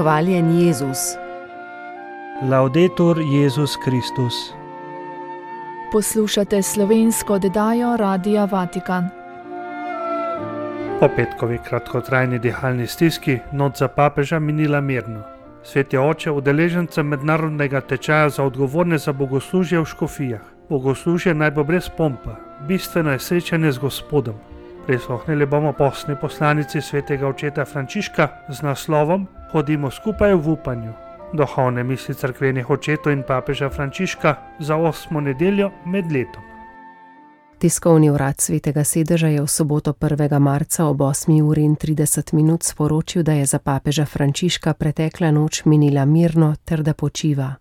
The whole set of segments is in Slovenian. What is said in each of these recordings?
Hvaljen Jezus. Laudetur Jezus Kristus. Poslušate slovensko oddajo Radia Vatikan. Po petkovi kratkotrajni dihalni stiski noč za papeža minila mirno. Sveti oče udeležencem mednarodnega tečaja za odgovorne za bogoslužje v škofijah. Bogoslužje naj bo brez pompa, bistveno je srečanje z Gospodom. Prisluhnili bomo postni poslanici svetega očeta Frančiška z naslovom Hodimo skupaj v upanju. Duhovne misli cerkvenih očetov in papeža Frančiška za 8. nedeljo med letom. Tiskovni urad Svetega sedeža je v soboto 1. marca ob 8:30 sporočil, da je za papeža Frančiška pretekla noč minila mirno ter da počiva.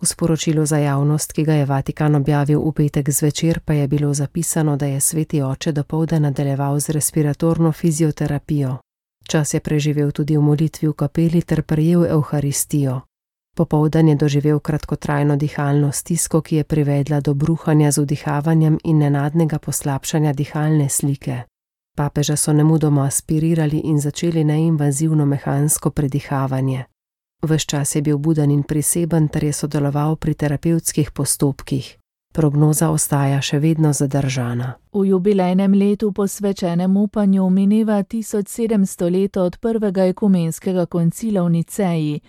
V sporočilu za javnost, ki ga je Vatikan objavil v petek zvečer, pa je bilo zapisano, da je sveti oče dopoldan nadaljeval z respiratorno fizioterapijo. Čas je preživel tudi v molitvi v kapeli ter prejel evharistijo. Popoldan je doživel kratkotrajno dihalno stisko, ki je privedla do bruhanja z vdihavanjem in nenadnega poslabšanja dihalne slike. Papeža so nemudoma aspirirali in začeli neinvazivno mehansko predihavanje. Ves čas je bil buden in priseben ter je sodeloval pri terapevtskih postopkih. Prognoza ostaja še vedno zadržana. V jubilejnem letu posvečenem upanju mineva 1700 let od prvega ekumenskega koncila v Niceji.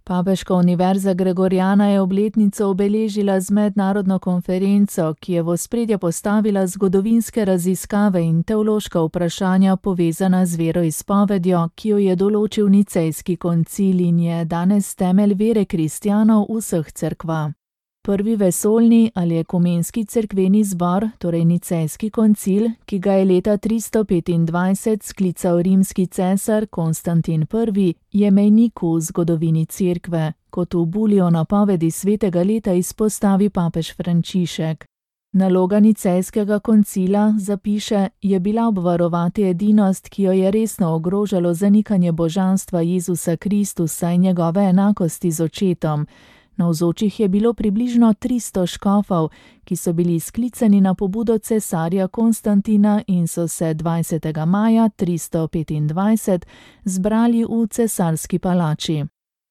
Papeška univerza Gregoriana je obletnico obeležila z mednarodno konferenco, ki je v ospredje postavila zgodovinske raziskave in teološka vprašanja povezana z veroizpovedjo, ki jo je določil Nicejski koncil in je danes temelj vere kristjanov vseh cerkva. Prvi vesoljni ali ekumenski cerkveni zbor, torej Nicejski koncil, ki ga je leta 325 sklical rimski cesar Konstantin I., je mejnik v zgodovini cerkve, kot v bulji o napovedi svetega leta izpostavi papež Frančišek. Naloga Nicejskega koncila, zapiše, je bila obvarovati edinost, ki jo je resno ogrožalo zanikanje božanstva Jezusa Kristusa in njegove enakosti z očetom. Navzočih je bilo približno 300 škofov, ki so bili sklicani na pobudo cesarja Konstantina in so se 20. maja 325 zbrali v cesarski palači.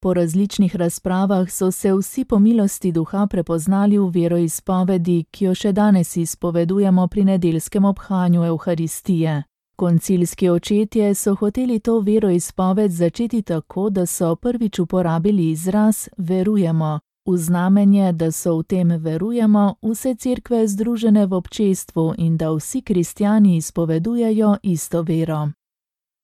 Po različnih razpravah so se vsi po milosti duha prepoznali v veroizpovedi, ki jo še danes izpovedujemo pri nedeljskem obhajanju evharistije. Koncilski očetje so hoteli to veroizpoved začeti tako, da so prvič uporabili izraz verujemo, v znamenje, da so v tem verujemo vse cerkve združene v občestvu in da vsi kristjani izpovedujejo isto vero.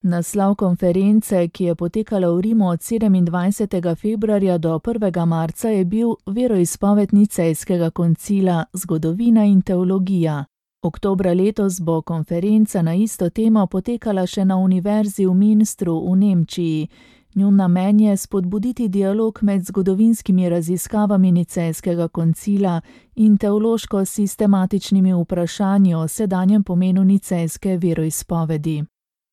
Naslov konference, ki je potekala v Rimu od 27. februarja do 1. marca, je bil Veroizpoved Nicejskega koncila, zgodovina in teologija. Oktobra letos bo konferenca na isto temo potekala še na univerzi v Münstru v Nemčiji. Njun namen je spodbuditi dialog med zgodovinskimi raziskavami Nicejskega koncila in teološko-sistematičnimi vprašanji o sedanjem pomenu nicejske veroizpovedi.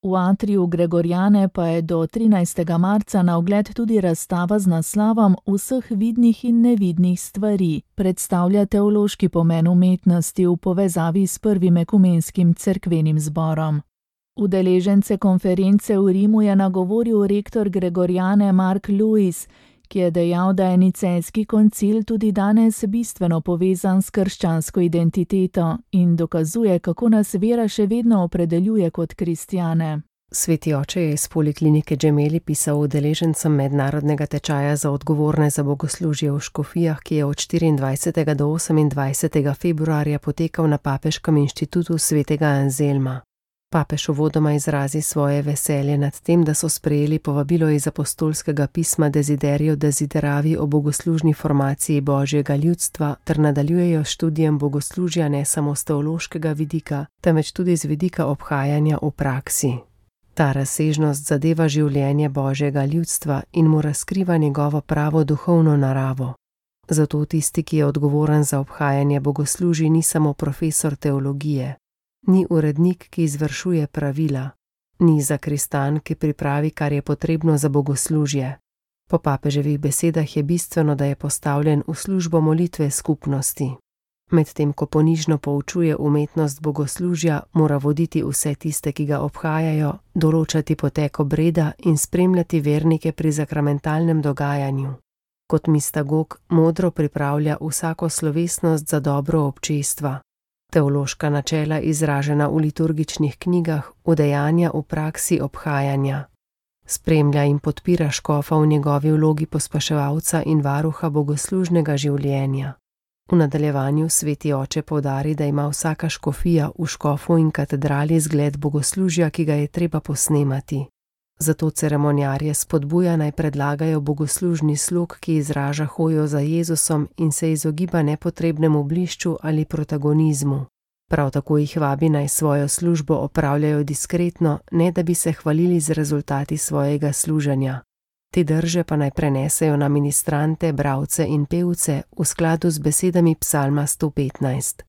V atriju Gregoriane pa je do 13. marca na ogled tudi razstava z naslovom Vseh vidnih in nevidnih stvari, predstavlja teološki pomen umetnosti v povezavi s prvim ekumenskim cerkvenim zborom. Udeležence konference v Rimu je nagovoril rektor Gregoriane Mark Lewis, ki je dejal, da je Nicejski koncil tudi danes bistveno povezan s krščansko identiteto in dokazuje, kako nas vera še vedno opredeljuje kot kristjane. Sveti oče je iz poliklinike Gemelli pisal udeležencem mednarodnega tečaja za odgovorne za bogoslužje v škofijah, ki je od 24. do 28. februarja potekal na Papeškem inštitutu svetega Anzelma. Papež uvodoma izrazi svoje veselje nad tem, da so sprejeli povabilo iz apostolskega pisma Desiderio Desideravi o bogoslužni formaciji božjega ljudstva ter nadaljujejo s študijem bogoslužja ne samo z teološkega vidika, temveč tudi z vidika obhajanja v praksi. Ta razsežnost zadeva življenje božjega ljudstva in mu razkriva njegovo pravo duhovno naravo. Zato tisti, ki je odgovoren za obhajanje bogoslužij, ni samo profesor teologije. Ni urednik, ki izvršuje pravila, ni zakristan, ki pripravi, kar je potrebno za bogoslužje. Po papeževih besedah je bistveno, da je postavljen v službo molitve skupnosti. Medtem ko ponižno poučuje umetnost bogoslužja, mora voditi vse tiste, ki ga obhajajo, določati potek obreda in spremljati vernike pri sakramentalnem dogajanju. Kot mistagog modro pripravlja vsako slovesnost za dobro občestva. Teološka načela, izražena v liturgičnih knjigah, udejanja v praksi obhajanja. Spremlja in podpira škofa v njegovi vlogi pospeševalca in varuha bogoslužnega življenja. V nadaljevanju sveti oče poudari, da ima vsaka škofija v škofu in katedrali zgled bogoslužja, ki ga je treba posnemati. Zato ceremonjarje spodbuja, naj predlagajo bogoslužni slog, ki izraža hojo za Jezusom in se izogiba nepotrebnemu blišču ali protagonizmu. Prav tako jih vabi, naj svojo službo opravljajo diskretno, ne da bi se hvalili z rezultati svojega služenja. Te drže pa naj prenesejo na ministrante, bralce in pevce v skladu z besedami psalma 115.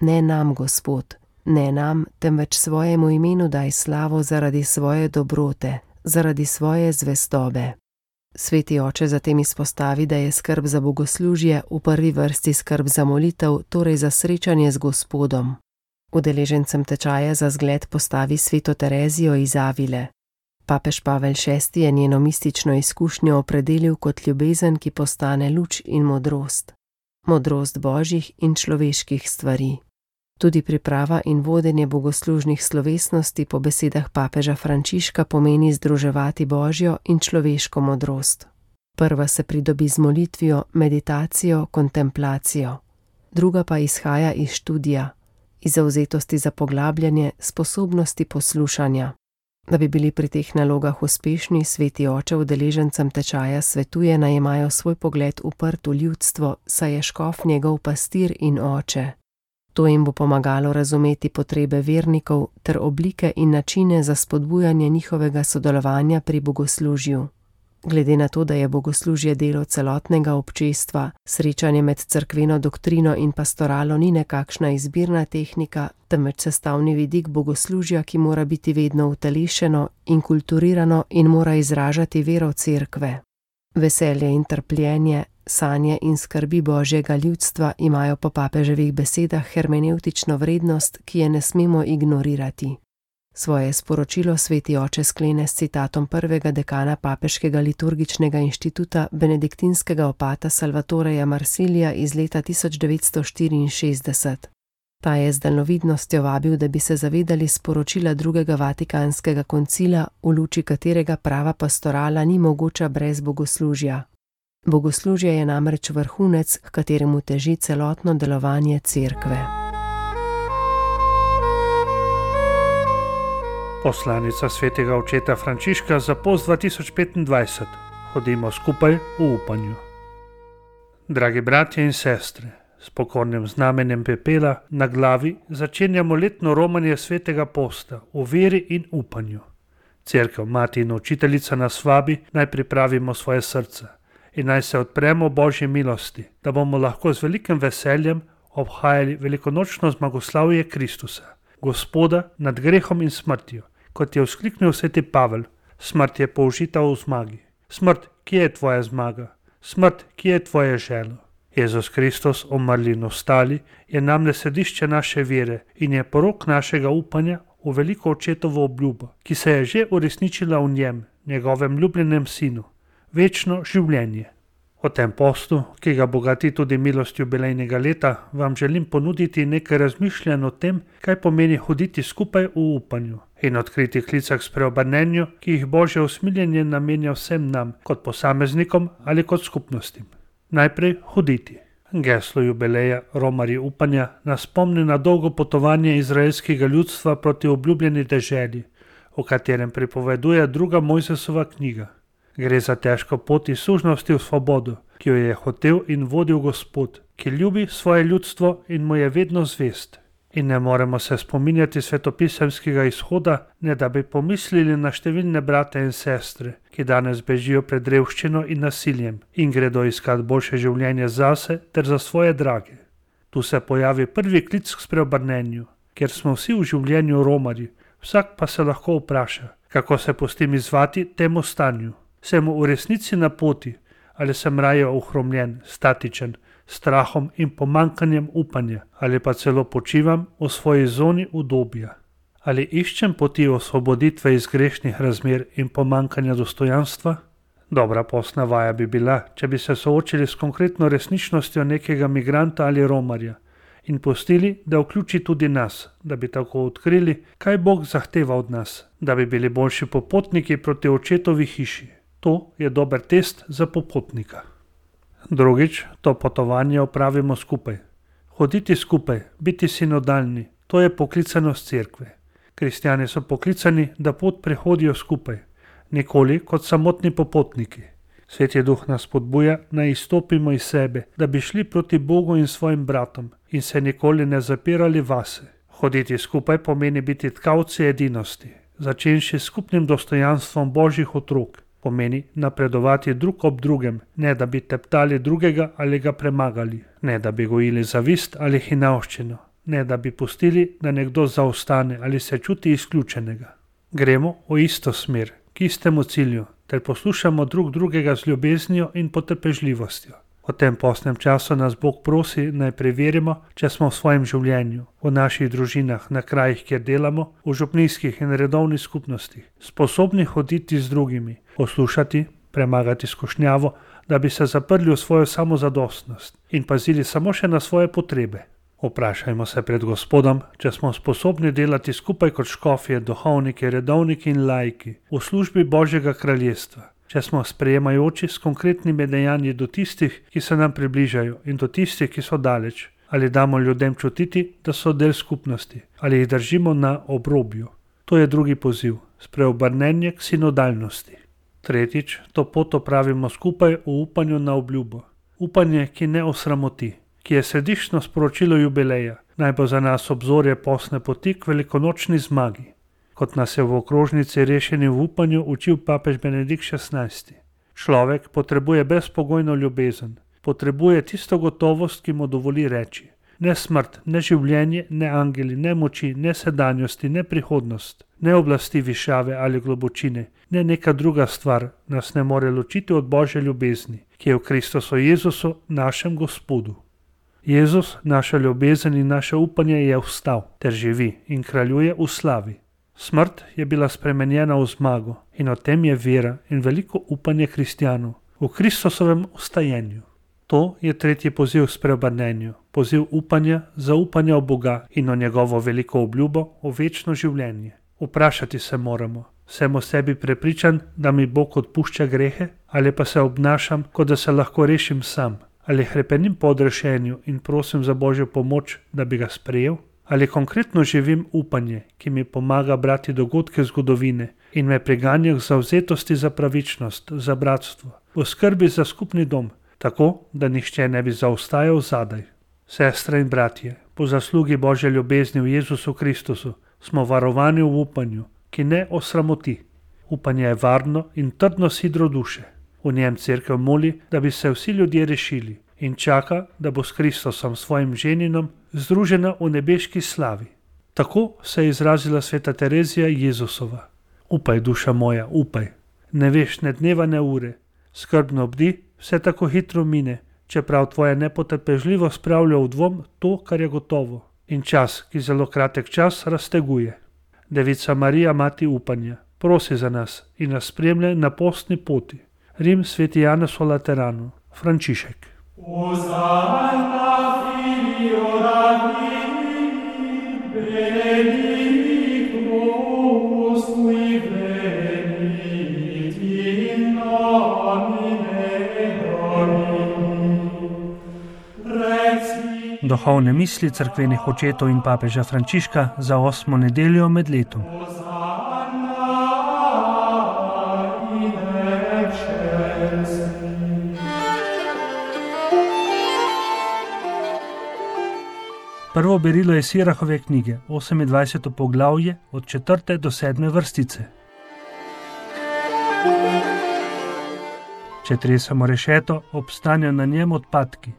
Ne nam, Gospod, ne nam, temveč svojemu imenu daj slavo zaradi svoje dobrote, zaradi svoje zvestobe. Sveti oče zatem izpostavi, da je skrb za bogoslužje v prvi vrsti skrb za molitev, torej za srečanje z Gospodom. Udeležencem tečaja za zgled postavi sveto Terezijo iz Avile. Papež Pavel VI je njeno mistično izkušnjo opredelil kot ljubezen, ki postane luč in modrost. Modrost božjih in človeških stvari. Tudi priprava in vodenje bogoslužnih slovesnosti po besedah papeža Frančiška pomeni združevati božjo in človeško modrost. Prva se pridobi z molitvijo, meditacijo, kontemplacijo. Druga pa izhaja iz študija, iz zavzetosti za poglabljanje, sposobnosti poslušanja. Da bi bili pri teh nalogah uspešni, sveti oče udeležencem tečaja svetuje, naj imajo svoj pogled uprt v ljudstvo, saj je škof njegov pastir in oče. To jim bo pomagalo razumeti potrebe vernikov ter oblike in načine za spodbujanje njihovega sodelovanja pri bogoslužju. Glede na to, da je bogoslužje delo celotnega občestva, srečanje med cerkveno doktrino in pastoralo ni nekakšna izbirna tehnika, temveč sestavni vidik bogoslužja, ki mora biti vedno utelešeno in kulturirano in mora izražati vero cerkve. Veselje in trpljenje, sanje in skrbi božjega ljudstva imajo po papeževih besedah hermenevtično vrednost, ki je ne smemo ignorirati. Svoje sporočilo sveti oče sklene s citatom prvega dekana Papeškega liturgičnega inštituta benediktinskega opata Salvatoreja Marsilija iz leta 1964. Ta je z daljnovidnostjo vabil, da bi se zavedali sporočila drugega Vatikanskega koncila, v luči katerega prava pastorala ni mogoča brez bogoslužja. Bogoslužje je namreč vrhunec, k kateremu teži celotno delovanje cerkve. Poslanica svetega očeta Frančiška za post 2025. Hodimo skupaj v upanju. Dragi bratje in sestre, s pokornim znamenjem pepela na glavi začenjamo letno romanje svetega posta v veri in upanju. Cerkev, mati in učiteljica nas vabi, naj pripravimo svoje srce in naj se odpremo Božji milosti, da bomo lahko z velikim veseljem obhajali velikonočno zmagoslavje Kristusa, Gospoda nad grehom in smrtjo, kot je vzkliknil sveti Pavel. Smrt je použita v zmagi. Smrt, kje je tvoja zmaga? Smrt, kje je tvoje želo? Jezus Kristus, umrli in ostali, je namle središče naše vere in je porok našega upanja v veliko očetovo obljubo, ki se je že uresničila v njem, njegovem ljubljenem sinu, večno življenje. O tem postu, ki ga bogati tudi milost jubilejnega leta, vam želim ponuditi nekaj razmišljanj o tem, kaj pomeni hoditi skupaj v upanju in odkriti klicah s preobrnenju, ki jih Božje usmiljenje namenja vsem nam, kot posameznikom ali kot skupnostim. Najprej hoditi. Geslo jubileja Romarji upanja nas spomni na dolgo potovanje izraelskega ljudstva proti obljubljeni deželi, o katerem pripoveduje druga Mojzesova knjiga. Gre za težko pot iz sužnosti v svobodo, ki jo je hotel in vodil Gospod, ki ljubi svoje ljudstvo in mu je vedno zvest. In ne moremo se spominjati svetopisemskega izhoda, ne da bi pomislili na številne brate in sestre, ki danes bežijo pred revščino in nasiljem in gredo iskat boljše življenje zase ter za svoje drage. Tu se pojavi prvi klic k spreobrnenju, ker smo vsi v življenju romarji, vsak pa se lahko vpraša, kako se pustim izzvati temu stanju. Sem v resnici na poti ali sem raje ohromljen, statičen, strahom in pomankanjem upanja, ali pa celo počivam v svoji zoni udobja. Ali iščem poti osvoboditve iz grešnih razmer in pomankanja dostojanstva? Dobra posna vaja bi bila, če bi se soočili s konkretno resničnostjo nekega migranta ali romarja in pustili, da vključi tudi nas, da bi tako odkrili, kaj Bog zahteva od nas, da bi bili boljši popotniki proti očetovi hiši. To je dober test za popotnika. Drugič, to potovanje opravimo skupaj. Hoditi skupaj, biti sinodalni, to je poklicanost cerkve. Kristjani so poklicani, da pot prehodijo skupaj, nikoli kot samotni popotniki. Sveti Duh nas spodbuja, naj izstopimo iz sebe, da bi šli proti Bogu in svojim bratom in se nikoli ne zapirali vase. Hoditi skupaj pomeni biti tkavci edinosti, začenši s skupnim dostojanstvom Božjih otrok. Pomeni napredovati drug ob drugem, ne da bi teptali drugega ali ga premagali, ne da bi gojili zavist ali hinavščino, ne da bi pustili, da nekdo zaostane ali se čuti izključenega. Gremo v isto smer, k istemu cilju, ter poslušamo drug drugega z ljubeznijo in potrpežljivostjo. V tem postnem času nas Bog prosi, naj preverimo, če smo v svojem življenju, v naših družinah, na krajih, kjer delamo, v župnijskih in redovnih skupnostih, sposobni hoditi z drugimi, poslušati, premagati skušnjavo, da bi se zaprli v svojo samozadostnost in pazili samo še na svoje potrebe. Vprašajmo se pred Gospodom, če smo sposobni delati skupaj kot škofje, duhovniki, redovniki in laiki v službi Božjega kraljestva, če smo sprejemajoči s konkretnimi dejanji do tistih, ki se nam približajo, in do tistih, ki so daleč, ali damo ljudem čutiti, da so del skupnosti, ali jih držimo na obrobju. To je drugi poziv, spreobrnenje k sinodalnosti. Tretjič, to pot opravimo skupaj v upanju na obljubo. Upanje, ki ne osramoti, ki je središčno sporočilo jubileja, naj bo za nas obzorje postne poti k velikonočni zmagi. Kot nas je v okrožnici Rešeni v upanju učil papež Benedikt XVI. Človek potrebuje brezpogojno ljubezen, potrebuje tisto gotovost, ki mu dovoli reči: ne smrt, ne življenje, ne angeli, ne moči, ne sedanjosti, ne prihodnost, ne oblasti višave ali globočine, ne neka druga stvar nas ne more ločiti od Božje ljubezni, ki je v Kristusu Jezusu, našem Gospodu. Jezus, naša ljubezen in naše upanje, je vstal ter živi in kraljuje v slavi. Smrt je bila spremenjena v zmago in o tem je vera in veliko upanje kristjanov v Kristusovem vstajenju. To je tretji poziv k spreobrnenju, poziv upanja, zaupanja v Boga in o njegovo veliko obljubo o večno življenje. Vprašati se moramo, sem o sebi prepričan, da mi Bog odpušča grehe, ali pa se obnašam, kot da se lahko rešim sam, ali hrepenim po odrešenju in prosim za Božjo pomoč, da bi ga sprejel, ali konkretno živim upanje, ki mi pomaga brati dogodke zgodovine in me priganja k zavzetosti za pravičnost, za bratstvo, v skrbi za skupni dom, tako, da nihče ne bi zaostajal zadaj. Sestre in bratje, po zaslugi Božje ljubezni v Jezusu Kristusu smo varovani v upanju, ki ne osramoti. Upanje je varno in trdno sidro duše. V njem cerkev moli, da bi se vsi ljudje rešili in čaka, da bo s Kristusom svojim ženinom združena v nebeški slavi. Tako se je izrazila sveta Terezija Jezusova. Upaj, duša moja, upaj. Ne veš ne dneva ne ure. Skrbno bdi, vse tako hitro mine, čeprav tvoja nepotrpežljivost spravlja v dvom to, kar je gotovo. In čas, ki zelo kratek čas, razteguje. Devica Marija, mati upanja, prosi za nas in nas spremlja na postni poti. Rim, sveti Janez v Lateranu, Frančišek. Duhovne misli cerkvenih očetov in papeža Frančiška za 8. nedeljo med letom. Prvo berilo je Sirahove knjige, 28. poglavje, od 4. do 7. vrstice. Če tresemo rešeto, obstanejo na njem odpadki,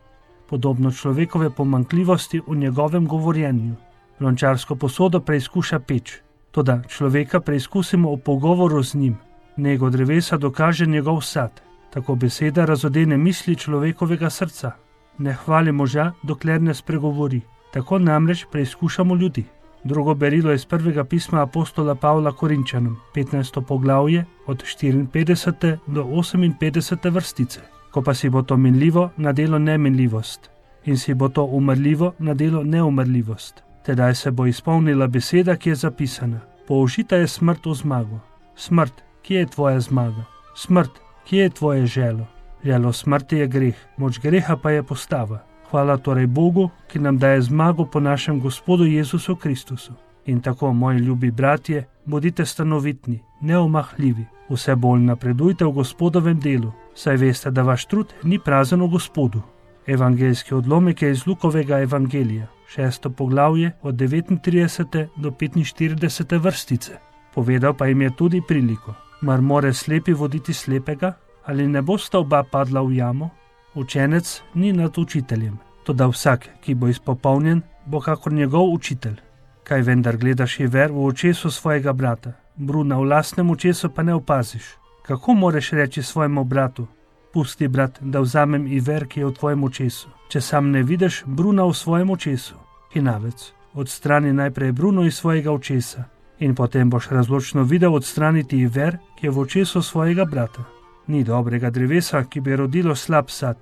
podobno človekove pomanjkljivosti v njegovem govorjenju. Lončarsko posodo preizkuša peč, toda človeka preizkusimo v pogovoru z njim. Nego drevesa dokaže njegov sad, tako beseda razodene misli človekovega srca. Ne hvali moža, dokler ne spregovori. Tako namreč preizkušamo ljudi. Drugo berilo je iz prvega pisma apostola Pavla Korinčanom, 15. poglavje, od 54. do 58. vrstice. Ko pa si bo to minljivo, nadelo neminljivost, in si bo to umrljivo, nadelo neumrljivost. Tedaj se bo izpolnila beseda, ki je zapisana. Použita je smrt v zmago. Smrt, kje je tvoja zmaga? Smrt, kje je tvoje želo? Želo smrti je greh, moč greha pa je postava. Hvala torej Bogu, ki nam daje zmago po našem Gospodu Jezusu Kristusu. In tako, moji ljubi bratje, bodite stanovitni, neomahljivi, vse bolj napredujte v Gospodovem delu, saj veste, da vaš trud ni prazen v Gospodu. Evangeljski odlomek je iz Lukovega evangelija, 6. poglavje od 39. do 45. vrstice. Povedal pa jim je tudi priliko. Mar more slepi voditi slepega? Ali ne bosta oba padla v jamo? Učenec ni nad učiteljem, toda vsak, ki bo izpopolnjen, bo kakor njegov učitelj. Kaj vendar gledaš Iver v očesu svojega brata, bruna v lastnem očesu pa ne opaziš? Kako moreš reči svojemu bratu: pusti, brat, da vzamem Iver, ki je v tvojem očesu, če sam ne vidiš bruna v svojem očesu? Hinavec, odstrani najprej bruno iz svojega očesa in potem boš razločno videl odstraniti Iver, ki je v očesu svojega brata. Ni dobrega drevesa, ki bi rodilo slab sad,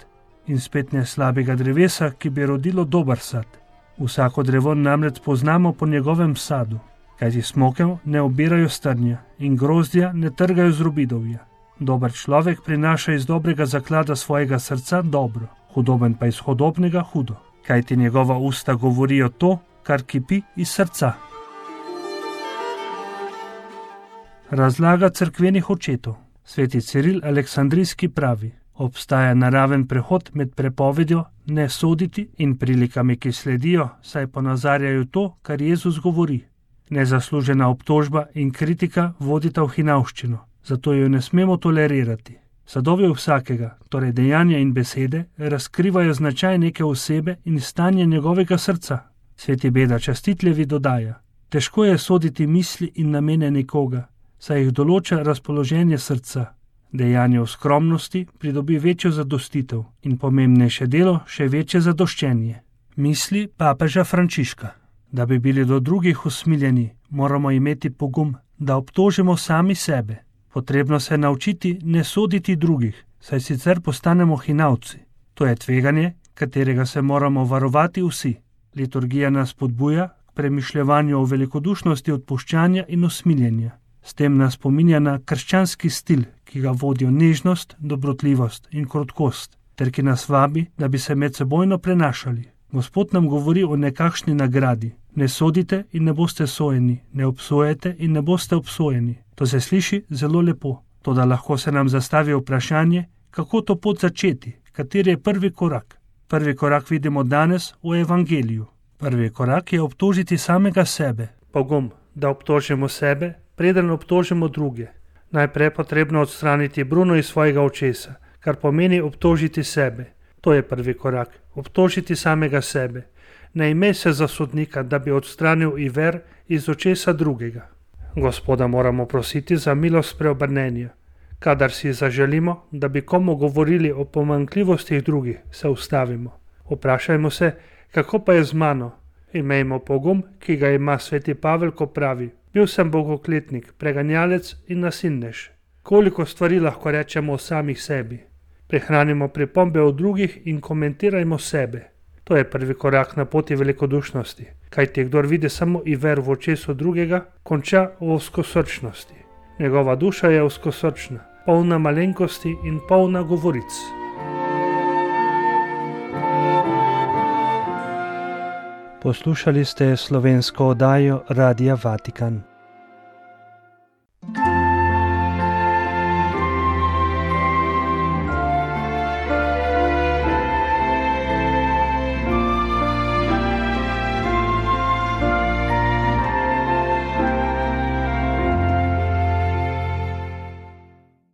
in spet ne slabega drevesa, ki bi rodilo dober sad. Vsako drevo namreč poznamo po njegovem sadu, kajti smokev ne obirajo strnja in grozdja ne trgajo z robidovja. Dober človek prinaša iz dobrega zaklada svojega srca dobro, hudoben pa iz hudobnega hudo, kajti njegova usta govorijo to, kar kipi iz srca. Razlaga cerkvenih očetov. Sveti Ciril Aleksandrijski pravi: obstaja naraven prehod med prepovedjo ne soditi in prilikami, ki sledijo, saj ponazarjajo to, kar Jezus govori. Nezaslužena obtožba in kritika vodita v hinavščino, zato jo ne smemo tolerirati. Sadovi vsakega, torej dejanja in besede, razkrivajo značaj neke osebe in stanje njegovega srca. Sveti Beda Častitljevi dodaja: težko je soditi misli in namene nekoga, saj jih določa razpoloženje srca. Dejanje v skromnosti pridobi večjo zadostitev in pomembnejše delo še večje zadoščenje. Misli papeža Frančiška. Da bi bili do drugih usmiljeni, moramo imeti pogum, da obtožimo sami sebe. Potrebno se naučiti ne soditi drugih, saj sicer postanemo hinavci. To je tveganje, katerega se moramo varovati vsi. Liturgija nas spodbuja k premišljevanju o velikodušnosti odpuščanja in usmiljenja. S tem nas spominja na krščanski stil, ki ga vodijo nežnost, dobrotljivost in krotkost, ter ki nas vabi, da bi se medsebojno prenašali. Gospod nam govori o nekakšni nagradi. Ne sodite in ne boste sojeni, ne obsojete in ne boste obsojeni. To se sliši zelo lepo, toda lahko se nam zastavi vprašanje, kako to pot začeti, kateri je prvi korak. Prvi korak vidimo danes v evangeliju. Prvi korak je obtožiti samega sebe. Pogum, da obtožimo sebe, preden obtožimo druge. Najprej je potrebno odstraniti bruno iz svojega očesa, kar pomeni obtožiti sebe. To je prvi korak, obtožiti samega sebe. Ne imej se za sodnika, da bi odstranil Iver iz očesa drugega. Gospoda moramo prositi za milost preobrnenja. Kadar si zaželimo, da bi komu govorili o pomanjkljivostih drugih, se ustavimo. Vprašajmo se, kako pa je z mano? Imejmo pogum, ki ga ima sveti Pavel, ko pravi: bil sem bogokletnik, preganjalec in nasilnež. Koliko stvari lahko rečemo o samih sebi? Prehranimo pripombe o drugih in komentirajmo sebe. To je prvi korak na poti velikodušnosti, kajti kdor vidi samo Iver v očesu drugega, konča v ozkosrčnosti. Njegova duša je ozkosrčna, polna malenkosti in polna govoric. Poslušali ste slovensko oddajo Radia Vatikan.